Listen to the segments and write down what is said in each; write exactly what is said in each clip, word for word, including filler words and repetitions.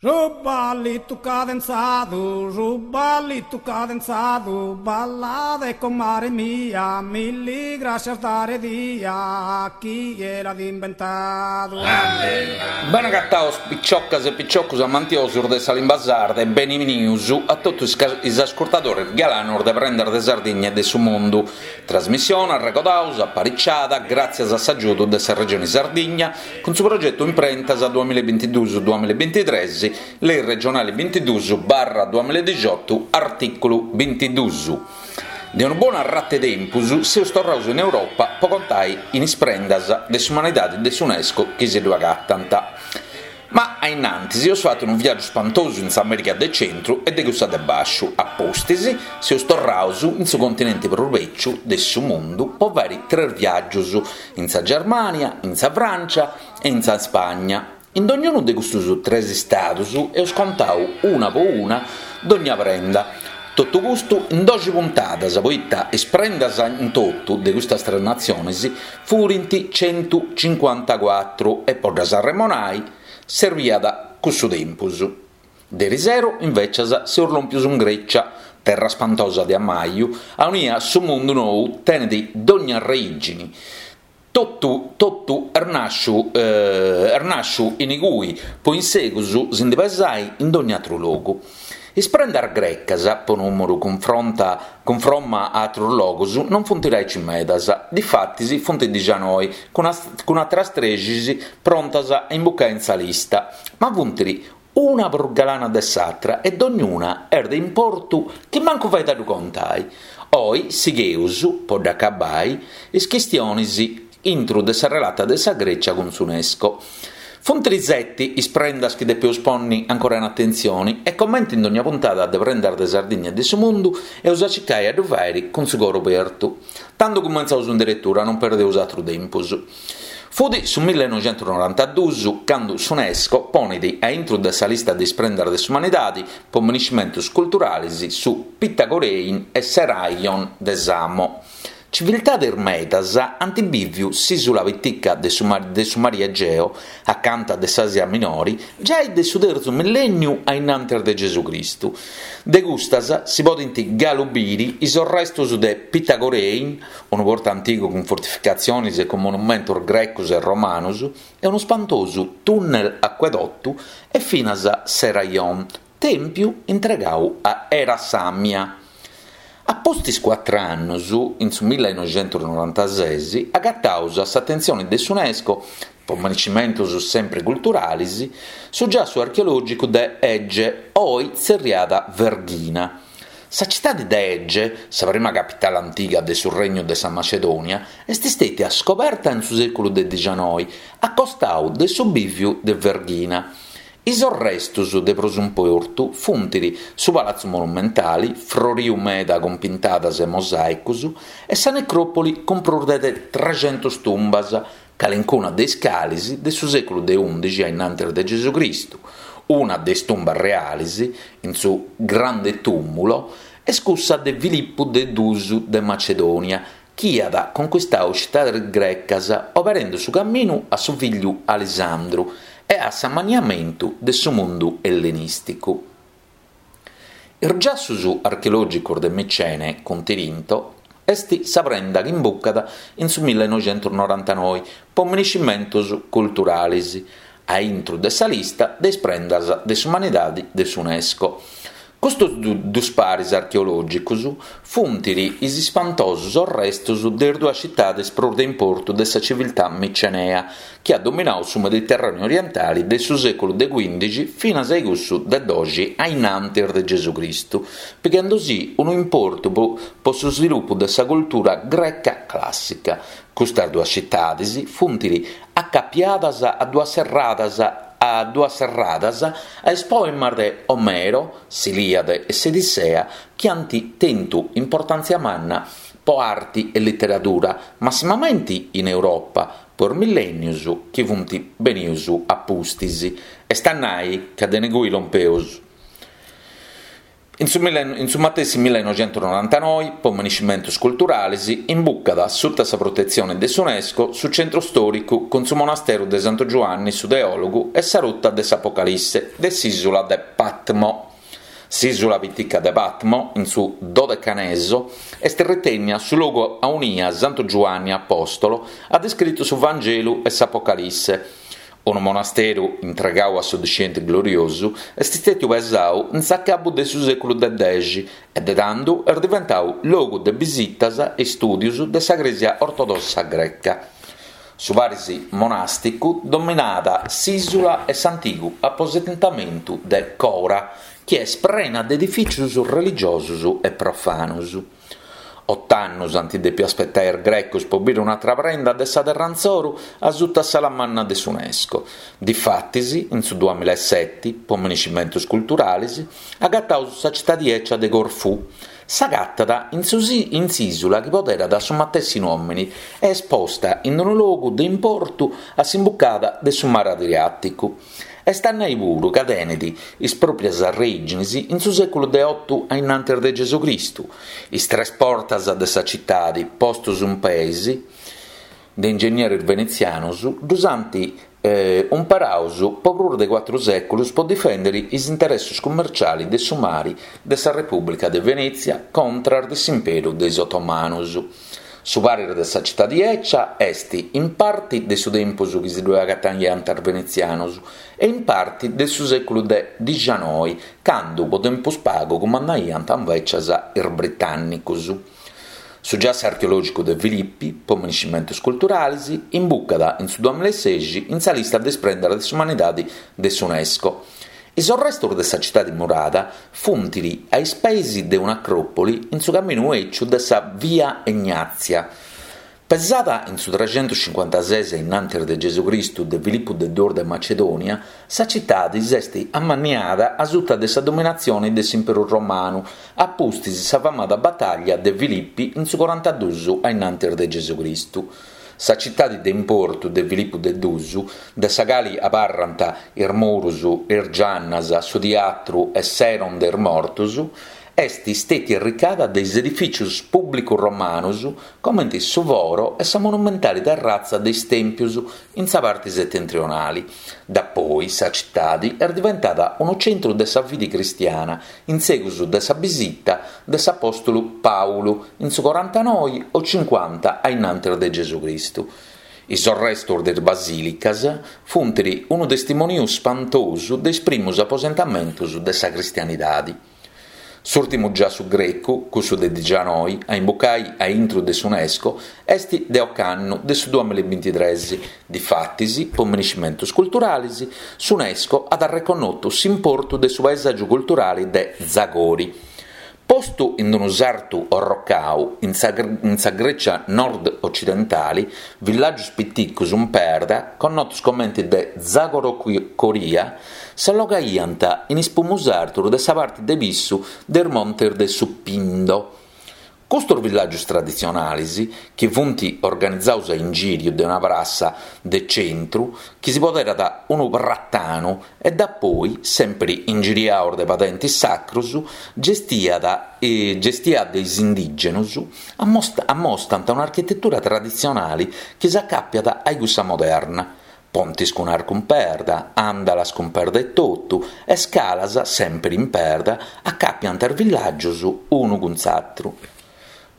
Su ballitu cadenzadu, su ballitu cadenzadu, ballade comare mia, milli grascias dare dia, chie l'at imbentadu. Bene agataus picioccas e picioccus amantiosus de sa limba sarda e benivenius a totu is ascurtadores galanos de Prendas de Sardigna e de su Mundu. Trasmissione arregodaus, apariciada gràtzias a s'agiudu de sa Regioni Sardigna cun su progetu Imprentas duamilla e bintiduus duamilla e bintitres, Lei regionali bintiduus barra duamilla e dixiotu, artìculu bintiduus. De unu bonu arratu 'e tempus seus torraus in Europa po contai in is prendas de s'umanidadi de s'Unesco chi si ddu agatant. Ma a innantis eus fatu unu viàgiu spantosu in s'Amèrica de centru e de cussa de bàsciu, a pustis seus torraus in su continenti prus bèciu de su mundu po fàiri tres viàgius, in sa Germània, in sa Frància e in sa Spagna. In dognunu de custus tres istadus eus contau una po una dogna prenda. Totu custu in doxi puntadas, poita is prendas in totu de custas tres natzionis furint centu cincuantacuatru e po ddas arremonai serbiat cussu tempus. Derisero invecias seus lompius in Grecia, terra spantosa de ammaju, aunia su mundu nou tenet dogna arreigini. Totu totu est nàsciu est nàsciu in igui po in segus si ndi pesai in dogna atru logu. Is prendas grecas, po nùmeru cunfronta cunfromma a atrus logus, non funt aici medas, difatis funt dixianoi, cun cun atras trexis prontas a imbucai in sa lista, ma funt una prus galana de s'atra e dognuna est de importu chi mancu fait a ddu contai. Oi sigheus, po dd'acabai, is chistionis intru de sa relata de sa Grècia cun s'Unesco. Funt seti is prendas chi depeus ponni ancora in atentzioni e comenti in dogna puntada de Prendas de Sardigna e de su Mundu eus a circai a ddu fàiri cun su coru obertu. Tando cumentzaus in deretura, non perdeus atru tempus. Fut su millenoixentusnorantaduus candu s'Unesco ponit a intru de sa lista de is prendas de s'umanidadi po miniscimentus culturalis su Pitagorein e Seraion de Samo. Civiltades medas ant bìviu s'ìsula pitica de su de su Mari Egeo, acanta de s'Àsia Minori, giai de su tertzu millènniu a innantis de Gesù Cristu. De custas si podent galu biri is orrestos de Pitagorein, unu portu antigu cun fortificatziones e cun monumentos grecos e romanos, e unu spantosu tunnel acuedotu e finas Seraion, tèmpiu intregadu a Era Sàmia. A pustis cuatru annos, in su millenoixentusnorantases, agataus a s'atentzione de s'Unesco, po miniscimentos sempre culturales, su giassu archeològicu de Ege, oi tzerriada Verghina. Sa citade de Ege, sa prima capitale antiga de su Regnu de sa Macedònia, est istètia scoberta in su sèculu de dixianoi, a costadu de su bìviu de Verghina. Is orrestos de prus importu funt su Palatzu Monumentale, froriu meda cun pintadas e mosàicos, e sa necròpoli cun prus de trexentos tumbas, calincuna de is cales de su sèculu de ùndixi a innantis de Gesù Cristu. Una de is tumbas reales, in su Grande Tumulo, est cussa de Filippu de duus de Macedònia, chi at conquistadu citades grecas, oberende su caminu a su figliu Alisandru e a s'ammaniamentu de su mundu ellenìsticu. Is giassos archeològicos de Micene cun Tirinto est sa prenda chi imbucat in su millenoixentusnorantanoi po miniscimentos culturales, a intro de sa lista de is prendas de s'umanidade de s'Unesco. Custos dus paris archeològicos funt is ispantosos orrestos de is duas citades prus de importu de sa civiltà micenea, chi at dominadu su Mediterràneu orientale de su sèculu de quìndixi finas a cussu de doxi a innantis de Gesù Cristu, pighendosì unu importu po, po su svilupu de sa cultura greca clàssica. Custas duas citades funt acapiadas a duas serradas a duas serradas a is poemas de Omero, s'Ilìade e s'Odissea, chi ant tentu importàntzia manna po arti e literadura, massimamente in Europa, po is millènnios chi funt benius a pustis. Est a nai ca de ingui lompeus. In su, in su matessi millenoixentusnorantanoi, po minescimentus culturalis, imbucat sutta sa protetzione de s'UNESCO su centru stòricu cun su monasteru de Santu Giuanni su Teòlogu e sa ruta de s'Apocalisse de s'ìsula de Patmo. S'ìsula pitica de Patmo, in su Dodecaneso, est ritènnia su logu aunia Santu Giuanni Apòstolo at iscritu su Vangelu e s'Apocalisse. Unu monasteru intregau a su discenti gloriosu est istètiu pesau in s'acabu de su sèculu de dexi e de tando est diventau logu de bisitas e istùdios de sa Crèsia ortodossa greca. Su paris monàsticu dominat s'ìsula e s'antigu aposentamentu de Cora, chi est prena de edifìtzios religiosos e profanos. Oto annos ant dèpiu aspetare is grecos pro bìdere un'àtera prenda de sa terra insoru a suta s'ala manna de s'UNESCO. Difatis, in su duamilla e sete, pro minescimentos culturales, agataus sa citade ecia de Corfù. S'agatat in in s'ìsula chi poderat su matessi nòmine e est posta in unu logu de importu a s'imbucada de su mare Adriàticu. Est a nai puru ca tenet is pròprias arrèigines in su sèculu de oto a innantis de Gesù Cristu. Is tres portas de sa citade, postos in peis de ingegneris venetzianos, ddus ant eh, umperaus po prus de cuatru sèculos pro difèndere is interessos cummerciales de su mare de sa Repùblica de Venètzia contra de s'imperu de is otomanos. Su paris de sa citade ecia est in parte de su tempus chi si ddoe agataiant is venetzianos e in parte de su sèculu de dixanoi, cando po tempus pagu cumandaiant invecias is britànnicos. Su giassu archeològicu de Filippi, po minescimentos culturales, imbucat in su duamilla e sexi in sa lista de is prendas de s'umanidade de s'UNESCO. Is arrestos de sa citade murada funt a is peis de un'acròpoli in su caminu eciu de sa Via Egnazia. Pesada in su trecentuscincuantases innantis de Gesù Cristu de Filippu de duos de Macedònia, sa citade s'est ammanniada a suta de sa dominatzione de s'Imperu Romanu, a pustis sa famada batalla de Filippi in su corantaduus a innantis de Gesù Cristu. Sa citade de importu de Filippu de duus, de sa cale abarrant is muros, is giannas, su teatru e s'Eron de is mortos, est istètia irricada de is edifìtzios pùblicos romanos, comente su foro e sa monumentale terratza de is tèmpios in sa parte setentrionale. Dapoi sa citade est diventada unu centru de sa fide cristiana, in segus de sa bisita de s'apòstolu Paulu in su corantanoi o cincuanta a innantis de Gesù Cristu. Is arrestos de is basìlicas funt unu testimoniu spantosu de is primos aposentamentos de sa cristianidade. S'ùrtimu giassu grecu, cussu de dixanoi, a imbucai a intro de s'UNESCO, est de ocannu de su duamilla e bintitrès. Difatis, po minescimentos culturales, s'UNESCO at reconnotu s'importu de su paesàgiu culturale de Zagori. Postu in unu sartu orrocau in sa, in sa Grecia nord-occidentale, villàgios piticos in perda, connotos comente de Zagorocoria, s'allogaiant in is pumus artos de sa parte de pissu del Monte de su Pindo. Custos villàgios traditzionales, chi funt organizados a ingìriu de una prassa de centru, chi si poderat unu pratanu e da poi, sempre ingiriados de padentes sacros, gestiat, eh, gestiat de is indìgenos, ammostant un'architetura traditzionale chi s'acàpiat a cussa moderna. Pontes cun arcu in perda, andalas cun perda e totu, e scalas, sempre in perda, acapiant is villàgios unu cun s'atru.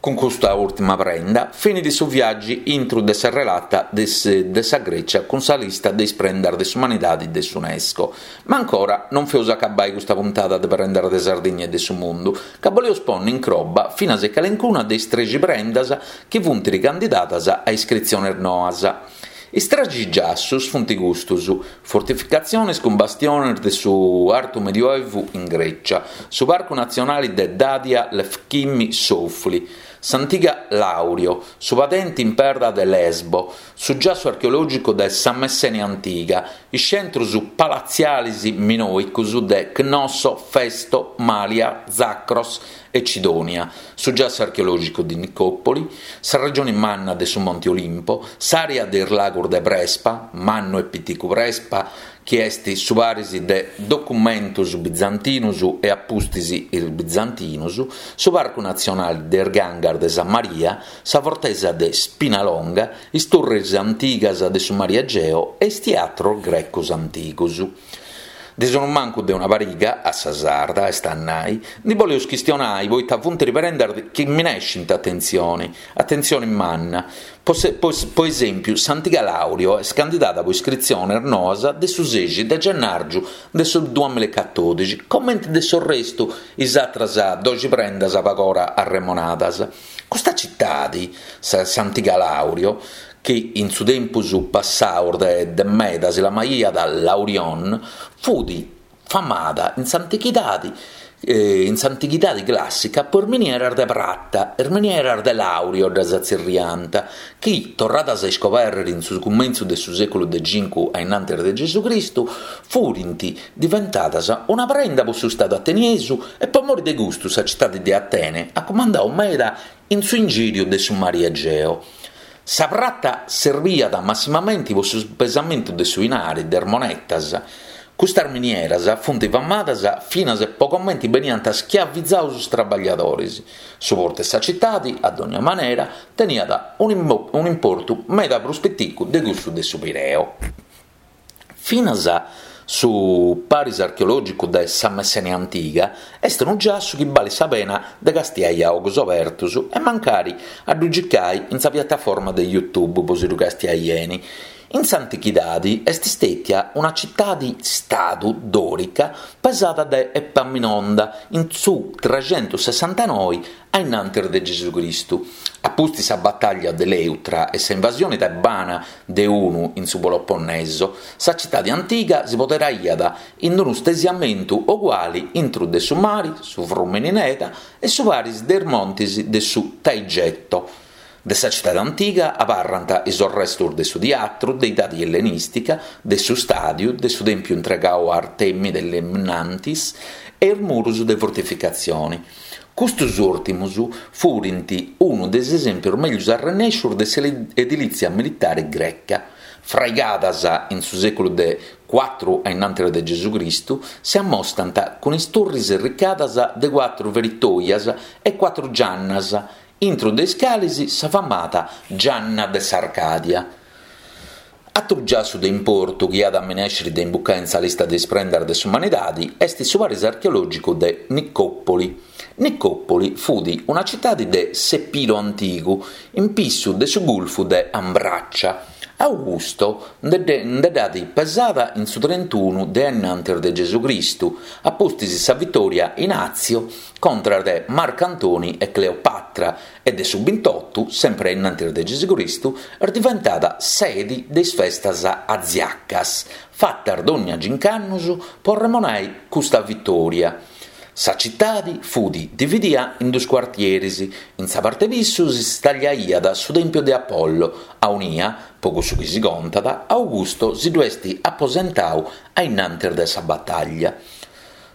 Cun custa ùrtima prenda, finit su viàgiu intro de sa relata de, de sa Grecia cun sa lista de is prendas de s'umanidade de s'UNESCO. Ma ancora non feus acabai custa puntada de prendas de Sardigna e de su mundu, ca boleus ponni in croba finas e calencuna de is trexi prendas chi funt ricandidadas a iscritziones noas. Is trexi giassus funt custos, fortificatziones cun bastiones de su Artu Medioevu in Grecia, su Parcu Natzionale de Dadia Lefkimmi Soufli, s'antiga Laurio, su padente in perda de Lesbo, su giassu archeològicu de sa Messenia Antiga, is centros palatziales minoicos de Cnosso, Festo, Malia, Zacros e Cidonia, su giassu archeològicu di Nicòpoli, sa regione manna de su Monte Olimpo, s'àrea de is lagos de Prespa, Mannu e Piticu Prespa, chi est su paris de documentos bizantinos e a pustis is bizantinos, su Parcu Natzionale de is Gangas de sa Maria, sa fortesa de Spinalonga, is turres antigas de su Mari Egeo e is teatros grecos antigos. De sonumancu de una pariga, a sa sarda, est a nai, ndi boleus chistionai poita funt prendas chi minescint atentzioni, atentzioni manna. Po, se, po, po esèmpiu, s'antiga Laurio est candidada po iscritziones noas de su sexi de gennàrgiu de su duamilla e catòdixi, comenti de su restu is atras doxi prendas pagora arremonadas. Custa citadi, s'antiga Laurio, chi in su tempus passau de, de meda si lamaiat Laurion, fut famada in s'antichidade eh, in s'antichidade clàssica po is minieras de prata, is minieras de Laurio ddas tzerriant, chi, torradas a iscoberrer in su cumentzu de su sèculu de cincu a innantis de Gesù Cristu, furint diventadas una prenda po su Stadu ateniesu e po mori de custu sa citade de Atene at cumandau meda in su ingìriu de su Mari Egeo. Sa prata serbiat massimamenti po su pesamentu de su 'inari, de is monetas. Custas minieras funt famadas finas po comenti beniant schiavizados is traballadores. Su portu de sa citade, a dogna manera, teniat un'importu meda prus piticu de cussu de su Pireo. Finas su paris archeològicu de sa Messenia antiga est unu giassu chi balit sa pena de castiai a ogos abertos e mancari a ddu gicai in sa piattaforma de YouTube po si ddu castiai 'eni. In s'antichidade est istètia una citade-stadu dòrica pesada de Epaminonda in su trecentosessantanove a innantis de Gesù Cristu. A pustis sa batalla de Leutra e sa invasione tebana de unu in su Peloponneso, sa citade antiga si poderaiat in unu stesiamentu uguale intro de su mare, su frùmene Neda e su paris de is montes de su Taigeto. De sa citade antiga abarrant is restos de su teatru de edade ellenistica, de su stàdiu, de su tèmpiu intregadu a Artemide Limnantis e is muros de fortificatzione. Custos ùrtimos furint unu de is esèmpios mègius arrennèscios de s'edilìtzia militare greca. Fraigadas in su sèculu de cuatru a innantis de Gesù Cristu, si ammostrant cun is turres irricadas de cuatru feritoias e cuatru giannas, intro de is cales sa famada Gianna de s'Arcadia. Atru giassu de importu chi at a minescere de imbucare in sa lista de is prendas de s'umanidade est su paris archeològicu de Nicòpoli. Nicòpoli fut una citade de s'Epiro antigu, in pissu de su Gulfu de Ambraccia. Augusto nde dd'at pesada in su trentunu de innantis de Gesù Cristu, a pustis sa vittoria in Azio contra de Marco Antoni e Cleopatra e de su ventotto, sempre innantis de Gesù Cristu, est diventada sede de is festas aziacas, fatas dogna cinc'annos po remonare custa vittoria. Sa citade fut dividia in duos quartieres. In sa parte pissu si stagliaiat su Tempio de Apollo, aunia, po cussu chi si contat, Augusto si ddu est aposentau a innantis de sa battaglia.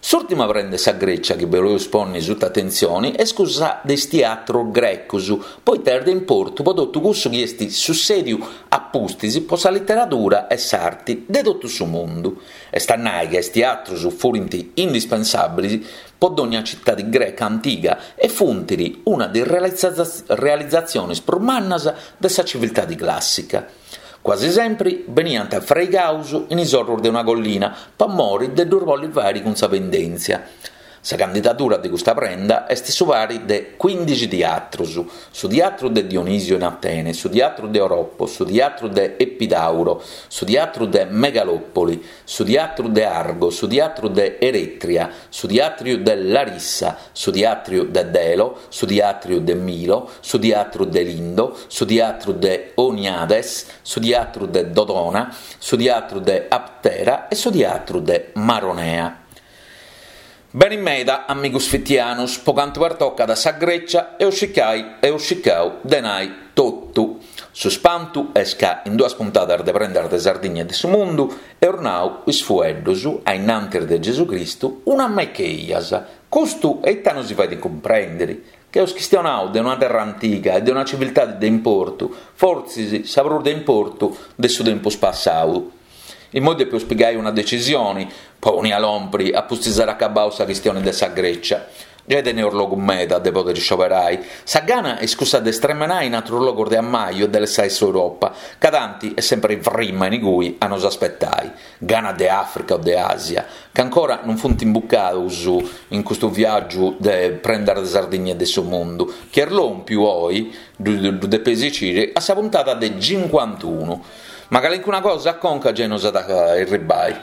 S'ultima prenda 'e sa Grecia chi boleus ponni sutta atentzione est cussa de is teatros grecos, poita est de importu po totu cussu chi est sussediu a pustis po sa literadura e s'arte de totu su mundu. Est a nai che is teatros furint indispensabilis po dogna citade greca antiga e funt una de is realizatziones prus mannas de sa civiltade clàssica. Quasi sempre beniant fraigados in is orros de una collina, po mori de ddus bolli fare cun sa pendèntzia. Sa candidadura de custa prenda est su pari de quindixi teatros: su teatru de Dionisio in Atene, su teatru de Oropo, su teatru de Epidauro, su teatru de Megalopoli, su teatru de Argo, su teatru de Eretria, su teatru de Larissa, su teatru de Delo, su teatru de Milo, su teatru de Lindo, su teatru de Oniades, su teatru de Dodona, su teatru de Aptera e su teatru de Maronea. Beni meda, amigos fitianos, po cantu pertocat sa Grecia eus circai eus circau de nai totu. Su spantu est ca in duas puntadas de Prendas de Sardigna e de su Mundu eus nau is fueddus, a innantis de Gesù Cristu, una mecheias. Custu eita nos si fait cumprendere? Che eus chistionau de una terra antiga e de una civiltade de importu, fortzis sa prus de importu de su tempus passau. Immoi depeus pigai una decisioni, po aunia lompri a pustis aer acabau sa chistioni de sa Grecia. Giai teneus logu meda de poderi scioberai. Sa gana est cussa de stremenai in atrus logus de ammaju e de lassai s'Europa, ca tanti est sempri frima inigui a nos aspetai. Gana de Africa o de Asia, ca ancora non funt imbucaus in custu viàgiu de Prendas de Sardigna e de su mundu, chi est lòmpiu oi, ddu depeis sciri, a sa puntada de cincuantunu. Ma calincuna cosa a conca giai nos at a erribai.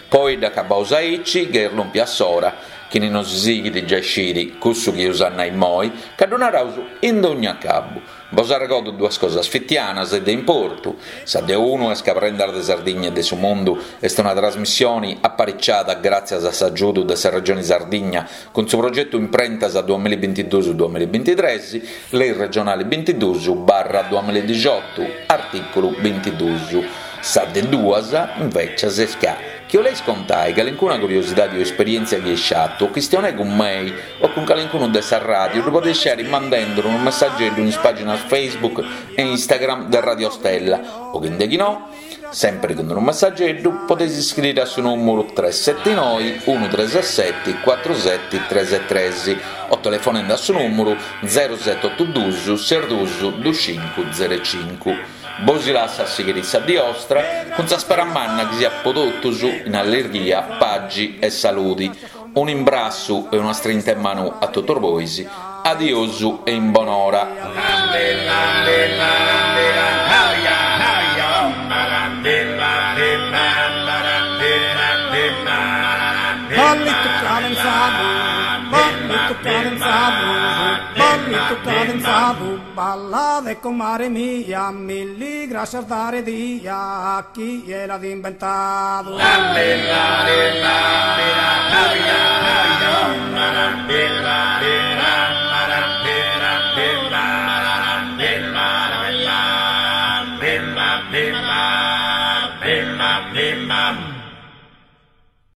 Po oi dd'acabaus aici, ca est lòmpia s'ora. Chini nos sighit giai scit cussu chi eus a nai immoi, ca ddu naraus in dogna acabu. Bos arregodu duas cosas fitianas e de importu. Sa de unu est ca Prendas de Sardigna e de su Mundu est una trasmissioni apariciada gràtzias a s'agiudu de sa Regioni Sardigna cun su progetu Imprentas duamilla e bintiduus duamilla e bintitres, Lei regionali bintiduus barra duamilla e dixiotu, artìculu bintiduus. Sa de duas, invècias, est ca chi 'oleis contai calincuna curiosidadi o esperièntzia chi eis fatu o chistionai cun mei o cun calincunu de sa ràdiu ddu podeis fàiri mandendi unu messageddu in is pàginas Facebook e Instagram de Radio Stella o chi ndechinò, sèmpiri cun unu messageddu, podeis iscriri a su nùmuru tres seti noi unu tres seti cuatru seti tres tres o telefonendi a su nùmuru zero seti otu duus ses duus dus cincu zero cincu. Bosi lassu a sighiri sa dì 'ostra cun sa spera manna chi siat po totus in allirghia, pagi e saludi. Un'imbrassu e una strinta 'e manu a totus bois. Adiosu e in bonora. Ballitu cadenzadu, ballitu cadenzadu, ballitu cadenzadu, ballade comare mia, milli grascias dare dia a chie l'at imbentadu.